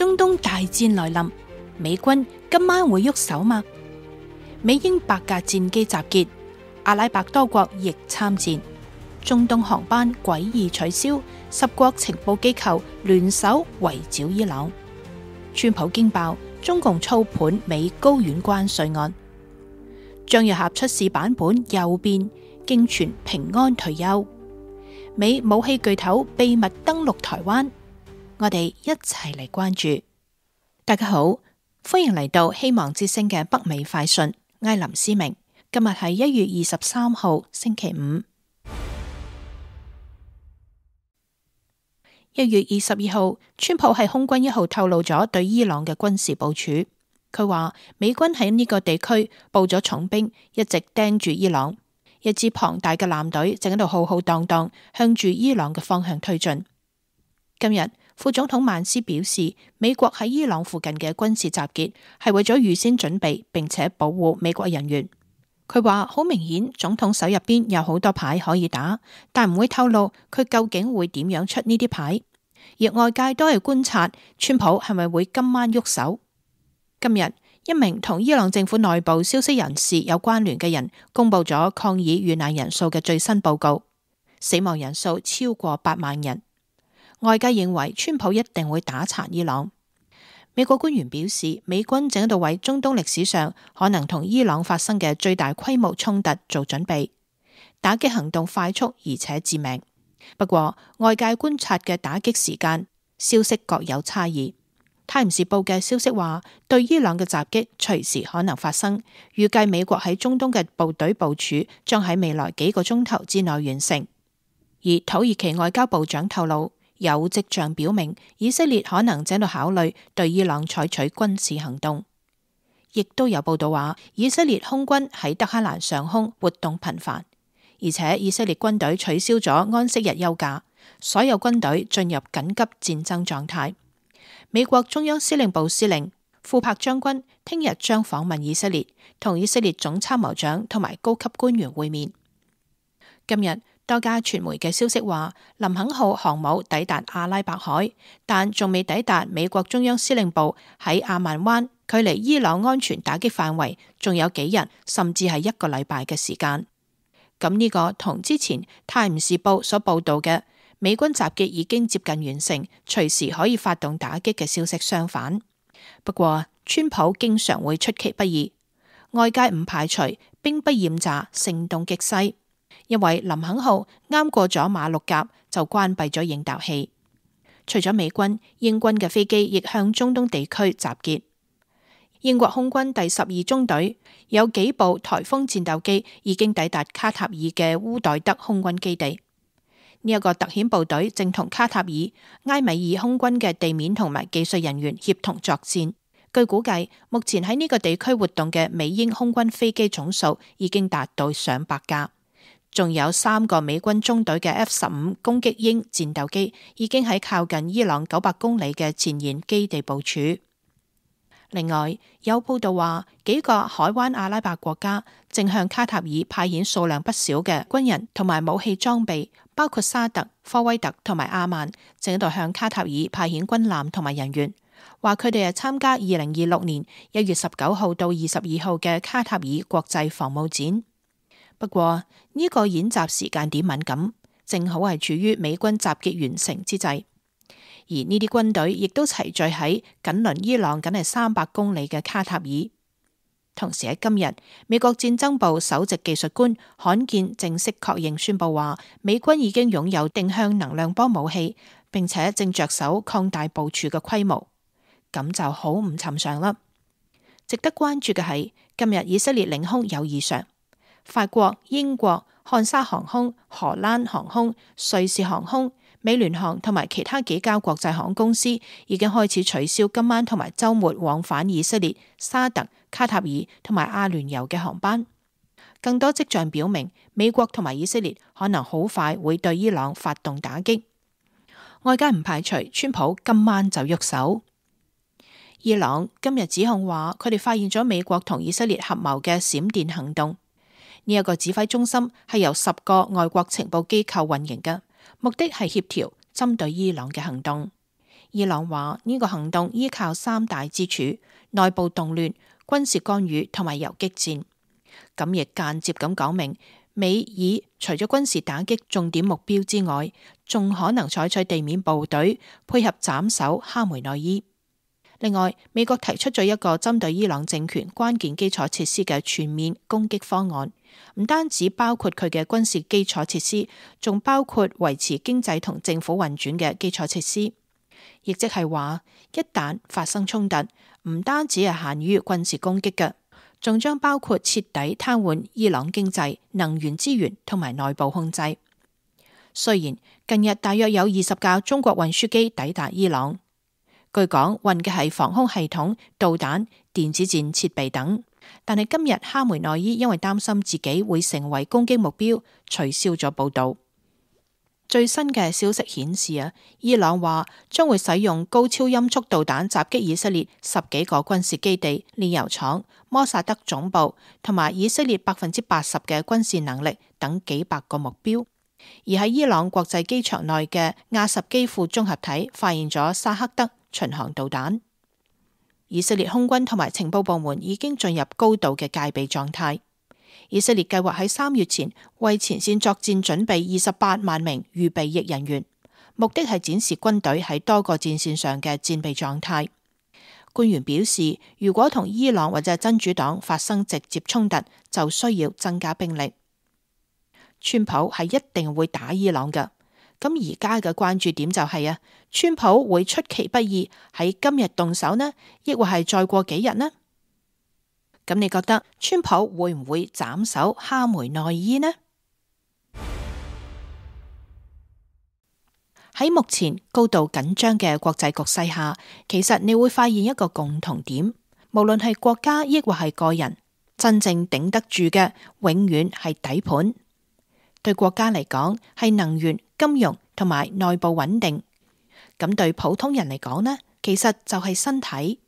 中東大戰來臨，美軍今晚會喐手嗎？美英8架戰機集結，阿拉伯多國亦參戰，中東航班詭異取消，10國情報機構聯手圍剿伊朗。川普驚爆中共操盤美高院關稅案，張若晗出事版本又變，驚傳平安退休。美武器巨頭秘密登陸台灣，我哋一齊嚟關注。大家好，歡迎嚟到希望之聲嘅北美快訊，我係林思明。今日係1月23號星期五。1月22號，川普喺空軍1號透露咗對伊朗嘅軍事部署。佢話美軍喺呢個地區布咗重兵，一直盯住伊朗。一支龐大嘅艦隊正喺度浩浩蕩蕩向住伊朗嘅方向推進。今日副總統曼斯表示，美國喺伊朗附近嘅軍事集結係為咗預先準備並且保護美國人員。佢話好明顯，總統手入邊有好多牌可以打，但唔會透露佢究竟會點樣出呢啲牌。而外界都係觀察川普係咪會今晚喐手。今日一名同伊朗政府內部消息人士有關聯嘅人公布咗抗議遇難人數嘅最新報告，死亡人數超過8萬人。外界認為川普一定會打殘伊朗。美國官員表示，美軍正喺度為中東歷史上可能同伊朗發生嘅最大規模衝突做準備，打擊行動快速而且致命。不過外界觀察嘅打擊時間消息各有差異。泰晤士報嘅消息話，對伊朗嘅襲擊隨時可能發生，預計美國喺中東嘅部隊部署將喺未來幾個鐘頭之內完成。而土耳其外交部長透露，有跡象表明以色列可能正喺度考慮對伊朗採取軍事行動。亦都有報道話，以色列空軍喺德黑蘭上空活動頻繁，而且以色列軍隊取消咗安息日休假，所有軍隊進入緊急戰爭狀態。美國中央司令部司令庫珀將軍聽日將訪問以色列，同以色列總參謀長同埋高級官員會面。今日多家傳媒嘅消息話，林肯號航母抵達阿拉伯海，但仲未抵達美國中央司令部喺阿曼灣，距離伊朗安全打擊範圍仲有幾日，甚至係1個禮拜嘅時間。咁呢個同之前泰晤士報所報道嘅美軍集結已經接近完成，隨時可以發動打擊嘅消息相反。不過川普經常會出其不意，外界唔排除兵不厭詐，聲東擊西。因為林肯號啱過咗馬六甲就關閉咗應答器。除咗美軍，英軍嘅飛機亦向中東地區集結。英國空軍第12中隊有幾部颱風戰鬥機已經抵達卡塔爾嘅烏代德空軍基地。呢一個特遣部隊正同卡塔爾、埃米爾空軍嘅地面同埋技術人員協同作戰。據估計，目前喺呢個地區活動嘅美英空軍飛機總數已經達到上百架，仲有3個美軍中隊嘅 F-15攻擊鷹戰鬥機已經喺靠近伊朗900公里嘅前沿基地部署。另外，有報道話，幾個海灣阿拉伯國家正向卡塔爾派遣數量不少嘅軍人同埋武器裝備，包括沙特、科威特同埋阿曼，正喺度向卡塔爾派遣軍艦同埋人員，話佢哋係參加2026年1月19號到22號嘅卡塔爾國際防務展。不過呢個演習時間點敏感，正好係處於美軍集結完成之際。而呢啲軍隊亦都齊聚喺緊鄰伊朗僅係300公里嘅卡塔爾。同時喺今日，美國戰爭部首席技術官罕見正式確認宣布話，美軍已經擁有定向能量波武器，並且正着手擴大部署嘅規模。咁就好唔尋常啦。值得關注嘅係，今日以色列領空有異常，法國、英國、漢莎航空、荷蘭航空、瑞士航空、美聯航同埋其他幾家國際航空公司已經開始取消今晚同埋週末往返以色列、沙特、卡塔爾同埋阿聯酋嘅航班。更多跡象表明，美國同埋以色列可能好快會對伊朗發動打擊。外界唔排除川普今晚就喐手。伊朗今日指控話，佢哋發現咗美國同以色列合謀嘅閃電行動。呢一個指揮中心係由10個外國情報機構運營嘅，目的係協調針對伊朗嘅行動。伊朗話呢個行動依靠三大支柱：內部動亂、軍事干預同埋游擊戰。咁亦間接咁講明，美以除咗軍事打擊重點目標之外，仲可能採取地面部隊配合斬首哈梅內伊。另外，美國提出咗一個針對伊朗政權關鍵基礎設施嘅全面攻擊方案，唔單止包括佢嘅軍事基礎設施，仲包括維持經濟同政府運轉嘅基礎設施。亦即係話，一旦發生衝突，唔單止係限於軍事攻擊嘅，仲將包括徹底癱瘓伊朗經濟、能源資源同埋內部控制。雖然近日大約有20架中國運輸機抵達伊朗，據講運嘅係防空系統、導彈、電子戰設備等，但係今日哈梅內伊因為擔心自己會成為攻擊目標，取消咗報道。最新嘅消息顯示伊朗話將會使用高超音速導彈襲擊以色列10幾個軍事基地、煉油廠、摩薩德總部同埋以色列80%嘅軍事能力等幾百個目標。而喺伊朗國際機場內嘅亞什基輔綜合體發現咗薩克德巡航導彈。以色列空軍同埋情報部門已經進入高度嘅戒備狀態。以色列計劃喺3月前為前線作戰準備28萬名預備役人員，目的係展示軍隊喺多個戰線上嘅戰備狀態。官員表示，如果同伊朗或者真主黨發生直接衝突，就需要增加兵力。川普係一定會打伊朗㗎。咁而家嘅關注點就係川普會出其不意喺今日動手呢，抑或係再過幾日呢？咁你覺得川普會唔會斬首哈梅內伊呢？喺目前高度緊張嘅國際局勢下，其實你會發現一個共同點，無論係國家抑或係個人，真正頂得住嘅永遠係底盤。對國家嚟講係能源、金融同埋內部穩定，咁對普通人嚟講呢，其實就係身體。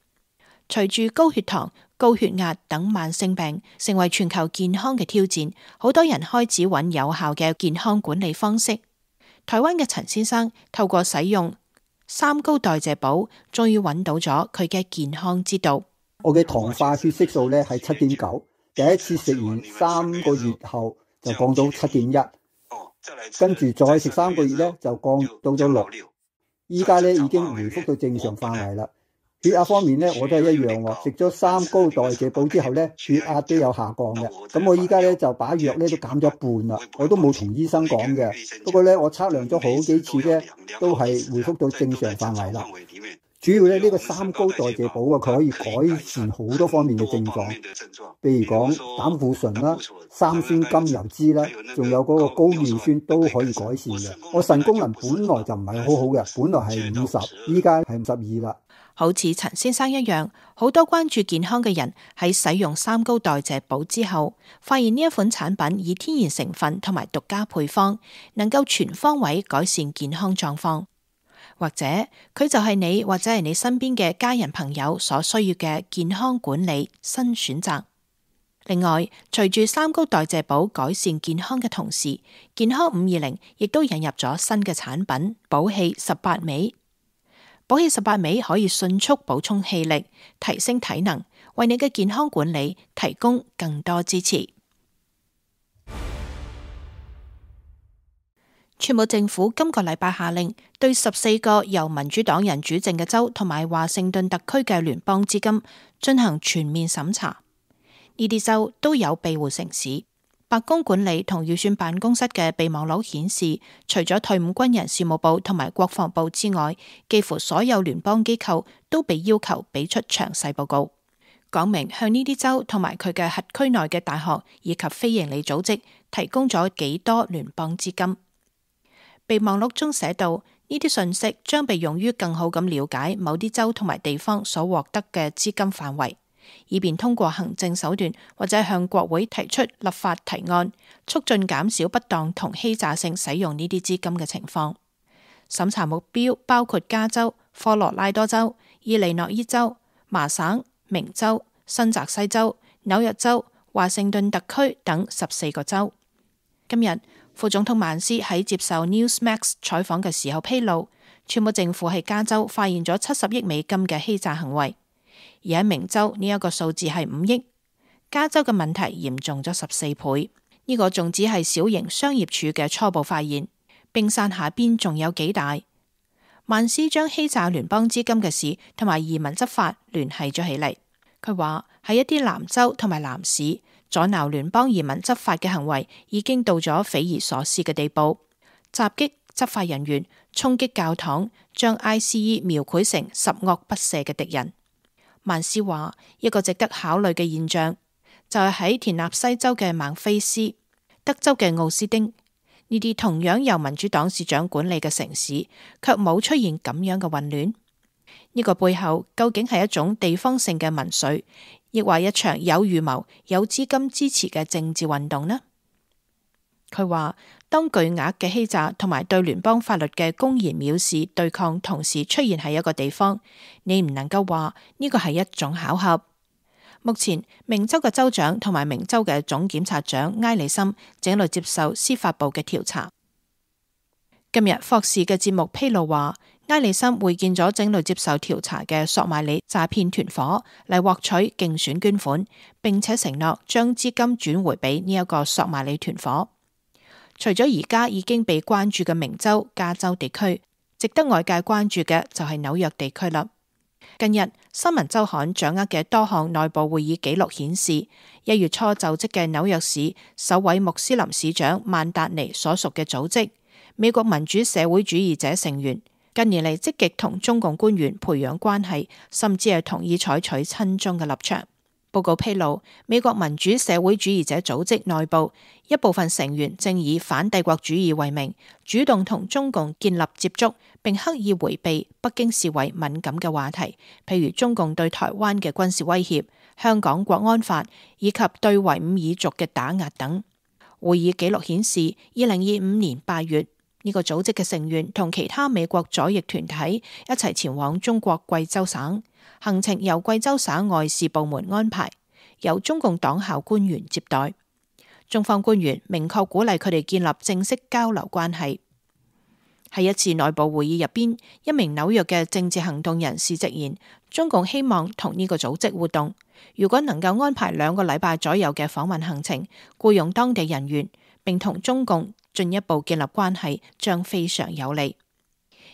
隨住高血糖、高血壓等慢性病成為全球健康嘅挑戰，好多人開始揾有效嘅健康管理方式。台灣嘅陳先生透過使用3高代謝寶，終於揾到咗佢嘅健康之道。我嘅糖化血色素呢係7.9，第一次食完3個月後就降到7.1，跟住再食3個月呢就降到咗6，依家呢已經回復到正常範圍啦。血壓方面呢，我都係一樣喎。食咗3高代謝寶之後呢，血壓都有下降嘅。咁我依家呢就把藥呢都減咗一半啦。我都冇同醫生講嘅。不過呢，我測量咗好幾次呢，都係回復到正常範圍啦。主要呢個3高代謝寶佢可以改善好多方面嘅症狀，譬如講膽固醇啦、三酸甘油酯啦，仲有嗰個高尿酸都可以改善嘅。我腎功能本來就唔係好好嘅，本來係50，依家係52啦。好似陳先生一樣，好多關注健康嘅人喺使用3高代謝寶之後，發現呢一款產品以天然成分同埋獨家配方，能夠全方位改善健康狀況。或者佢就係你或者係你身邊嘅家人朋友所需要嘅健康管理新選擇。另外，隨住3高代謝寶改善健康嘅同時，健康520亦都引入咗新嘅產品寶氣18味。寶氣18味可以迅速補充氣力，提升體能，為你嘅健康管理提供更多支持。川普政府今個禮拜下令對14個由民主黨人主政嘅州同埋華盛頓特區嘅聯邦資金進行全面審查。呢啲州都有庇護城市。白宮管理同預算辦公室嘅備忘錄顯示，除咗退伍軍人事務部同埋國防部之外，幾乎所有聯邦機構都被要求俾出詳細報告，講明向呢啲州同埋佢嘅轄區內嘅大學以及非營利組織提供咗幾多聯邦資金。備忘錄中寫道，呢啲信息將被用於更好咁了解某啲州同埋地方所獲得嘅資金範圍，以便通過行政手段或者向國會提出立法提案，促進減少不當同欺詐性使用呢啲資金嘅情況。審查目標包括加州、科羅拉多州、伊利諾伊州、麻省、明州、新澤西州、紐約州、華盛頓特區等14個州。今日副總統曼斯喺接受 Newsmax 採訪嘅時候披露，川普政府喺加州發現咗70億美金嘅欺詐行為，而喺明州呢一個數字係5億。加州嘅問題嚴重咗14倍。呢個仲只係小型商業處嘅初步發現，冰山下邊仲有幾大。曼斯將欺詐聯邦資金嘅事同埋移民執法聯繫咗起嚟。佢話喺一啲南州同埋南市，阻撓聯邦移民執法嘅行為已經到咗匪夷所思嘅地步，襲擊執法人員、衝擊教堂，將 ICE 描繪成十惡不赦嘅敵人。曼斯話一個值得考慮嘅現象，就係喺田納西州嘅孟菲斯、德州嘅奧斯丁呢啲同樣由民主黨市長管理嘅城市，卻冇出現咁樣嘅混亂。呢個背後究竟係一種地方性嘅民粹，亦或一場有預謀、有資金支持嘅政治運動呢？佢話當巨額嘅欺詐同埋對聯邦法律嘅公然藐視對抗同時出現喺一個地方，你唔能夠話呢個係一種巧合。目前明州嘅州長同埋明州嘅總檢察長埃里森正喺度接受司法部嘅調查。今日霍士嘅節目披露話，埃里森會見咗正喺度接受調查嘅索馬里詐騙團伙嚟獲取競選捐款，並且承諾將資金轉回俾呢一個索馬里團伙。除咗而家已經被關注嘅明州、加州地區，值得外界關注嘅就係紐約地區啦。近日新聞週刊掌握嘅多項內部會議記錄顯示，1月初就職嘅紐約市首位穆斯林市長曼達尼所屬嘅組織美國民主社會主義者成員，近年嚟積極同中共官員培養關係，甚至係同意採取親中嘅立場。報告披露，美國民主社會主義者組織內部一部分成員正以反帝國主義為名，主動同中共建立接觸，並刻意迴避北京視為敏感嘅話題，譬如中共對台灣嘅軍事威脅、香港國安法以及對維吾爾族嘅打壓等。會議記錄顯示，2025年8月，呢個組織嘅成員同其他美國左翼團體一齊前往中國貴州省。行程由貴州省外事部門安排，由中共黨校官員接待。中方官員明確鼓勵佢哋建立正式交流關係。喺一次內部會議入邊，一名紐約嘅政治行動人士直言，中共希望同呢個組織互動，如果能夠安排2個禮拜左右嘅訪問行程，僱用當地人員，並同中共進一步建立關係，將非常有利。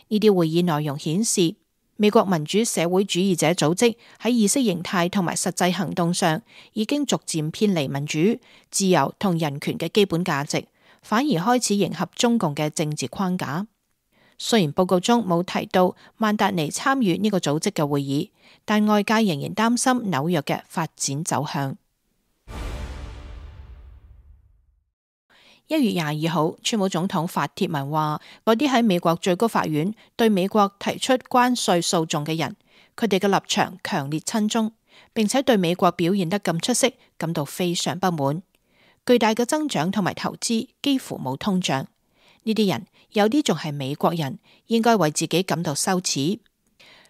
呢啲會議內容顯示，美國民主社會主義者組織喺意識形態同埋實際行動上已經逐漸偏離民主、自由同人權嘅基本價值，反而開始迎合中共嘅政治框架。雖然報告中冇提到曼達尼參與呢個組織嘅會議，但外界仍然擔心紐約嘅發展走向。1月22號，川普總統發帖文話，嗰啲喺美國最高法院對美國提出關稅訴訟嘅人，佢哋嘅立場強烈親中，並且對美國表現得咁出色感到非常不滿。巨大嘅增長同埋投資幾乎冇通脹，呢啲人有啲仲係美國人，應該為自己感到羞恥。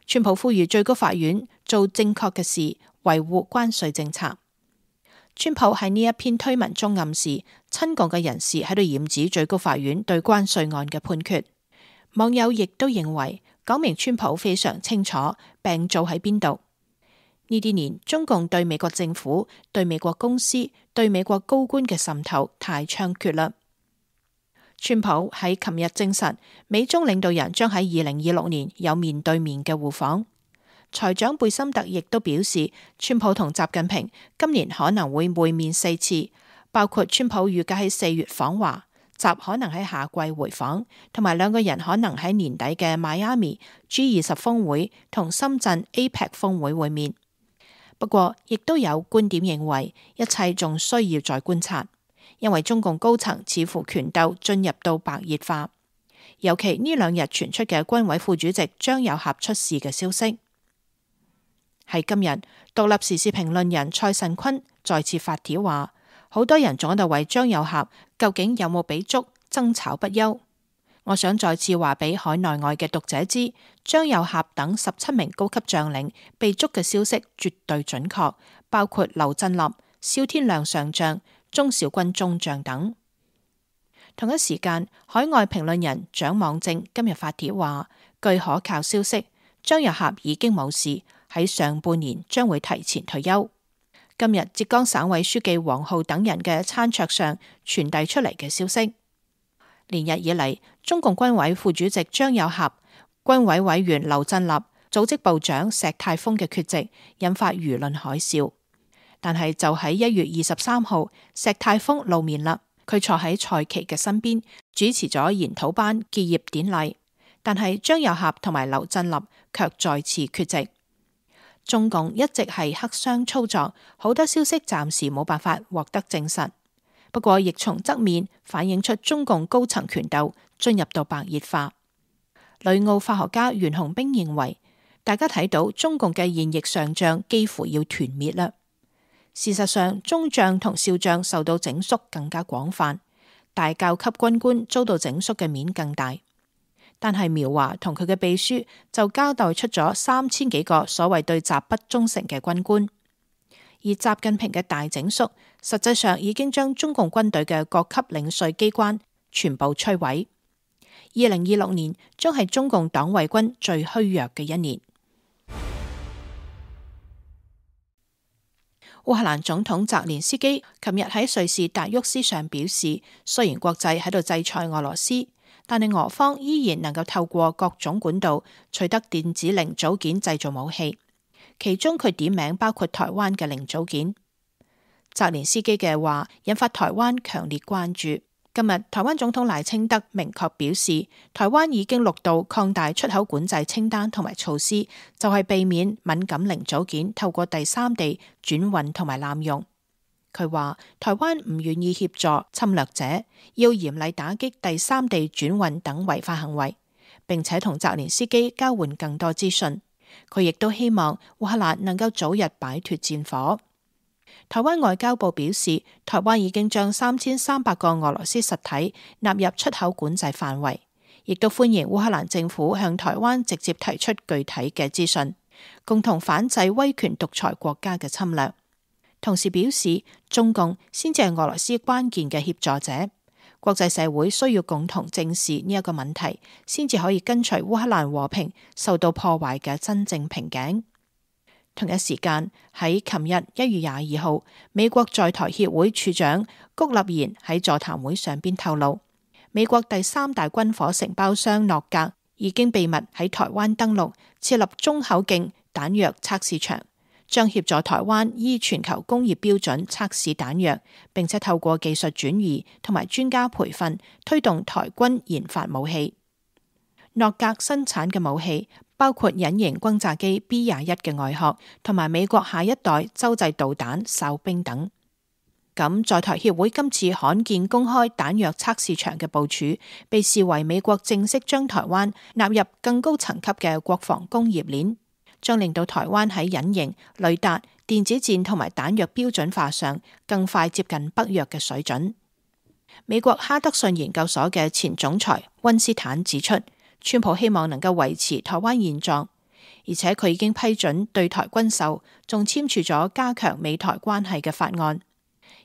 川普呼籲最高法院做正確嘅事，維護關稅政策。川普喺呢一篇推文中暗示，親共嘅人士喺度染指最高法院對關稅案嘅判決。網友亦都認為，講明川普非常清楚病灶喺邊度。呢啲年，中共對美國政府、對美國公司、對美國高官嘅滲透太猖獗啦。川普喺琴日證實，美中領導人將喺2026年有面對面嘅互訪。財長貝森特亦都表示，川普同習近平今年可能會會面4次，包括川普預計喺4月訪華，習可能喺夏季回訪，同埋2個人可能喺年底嘅邁阿密 G20 峰會同深圳 APEC 峰會會面。不過，亦都有觀點認為，一切仲需要再觀察，因為中共高層似乎權鬥進入到白熱化，尤其呢2日傳出嘅軍委副主席張又俠出事嘅消息。喺今日，獨立時事評論人蔡慎坤再次發帖話，好多人仲喺度為張又俠究竟有冇俾捉爭吵不休。我想再次話俾海內外嘅讀者知，張又俠等17名高級將領被捉嘅消息絕對準確，包括劉振立、蕭天亮上將、鍾小軍中將等。同一時間，海外評論人蔣望正今日發帖話，據可靠消息，張又俠已經冇事，喺上半年將會提前退休。今日浙江省委書記王浩等人嘅餐桌上傳遞出嚟嘅消息。連日以嚟，中共軍委副主席張又俠、軍委委員劉振立、組織部長石泰峰嘅缺席，引發輿論海嘯。但係就喺1月23號，石泰峰露面啦，佢坐喺蔡奇嘅身邊，主持咗研討班結業典禮。但係張又俠同埋劉振立卻再次缺席。中共一直係黑箱操作，好多消息暫時冇辦法獲得證實。不過亦從側面反映出中共高層權鬥進入到白熱化。旅澳化學家袁洪兵認為，大家睇到中共嘅現役上將幾乎要團滅啦。事實上，中將同少將受到整肅更加廣泛，大校級軍官遭到整肅嘅面更大。但係苗華同佢嘅秘書就交代出咗3000幾個所謂對習不忠誠嘅軍官，而習近平嘅大整肅實際上已經將中共軍隊嘅各級領稅機關全部摧毀。2026年將係中共黨衛軍最虛弱嘅一年。烏克蘭總統澤連斯基琴日喺瑞士達沃斯上表示，雖然國際喺度制裁俄羅斯，但係俄方依然能夠透過各種管道取得電子零組件製造武器，其中佢點名包括台灣嘅零組件。澤連斯基嘅話引發台灣強烈關注。今日台灣總統賴清德明確表示，台灣已經6度擴大出口管制清單同埋措施，就係避免敏感零組件透過第三地轉運同埋濫用。佢話台灣唔願意協助侵略者，要嚴厲打擊第三地轉運等違法行為，並且同澤連斯基交換更多資訊。佢亦都希望烏克蘭能夠早日擺脫戰火。台灣外交部表示，台灣已經將3300個俄羅斯實體納入出口管制範圍，亦都歡迎烏克蘭政府向台灣直接提出具體嘅資訊，共同反制威權獨裁國家嘅侵略。同時表示，中共先至係俄羅斯關鍵嘅協助者，國際社會需要共同正視呢一個問題，先至可以根除烏克蘭和平受到破壞嘅真正瓶頸。同一時間喺琴日1月22號，美國在台協會處長谷立言喺座談會上邊透露，美國第3大軍火承包商諾格已經秘密喺台灣登陸，設立中口徑彈藥測試場，將協助台灣依全球工業標準測試彈藥，並且透過技術轉移同埋專家培訓，推動台軍研發武器。諾格生產嘅武器包括隱形轟炸機 B-21嘅外殼，同埋美國下一代洲際導彈哨兵等。咁在台協會今次罕見公開彈藥測試場嘅部署，被視為美國正式將台灣納入更高層級嘅國防工業鏈，將令到台灣喺隱形、雷達、電子戰同埋彈藥標準化上更快接近北約嘅水準。美國哈德遜研究所嘅前總裁溫斯坦指出，川普希望能夠維持台灣現狀，而且佢已經批准對台軍售，仲簽署咗加強美台關係嘅法案。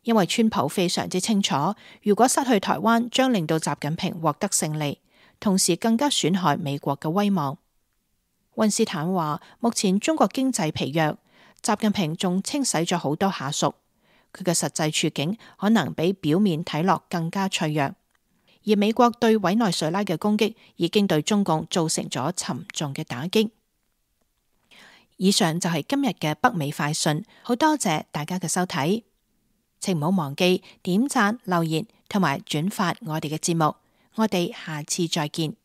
因為川普非常之清楚，如果失去台灣，將令到習近平獲得勝利，同時更加損害美國嘅威望。溫斯坦話，目前中國經濟疲弱，習近平仲清洗咗好多下屬，佢嘅實際處境可能比表面睇落更加脆弱。而美國對委內瑞拉嘅攻擊已經對中共造成咗沉重嘅打擊。以上就係今日嘅北美快訊，好多謝大家嘅收睇，請唔好忘記點讚、留言同埋轉發我哋嘅節目，我哋下次再見。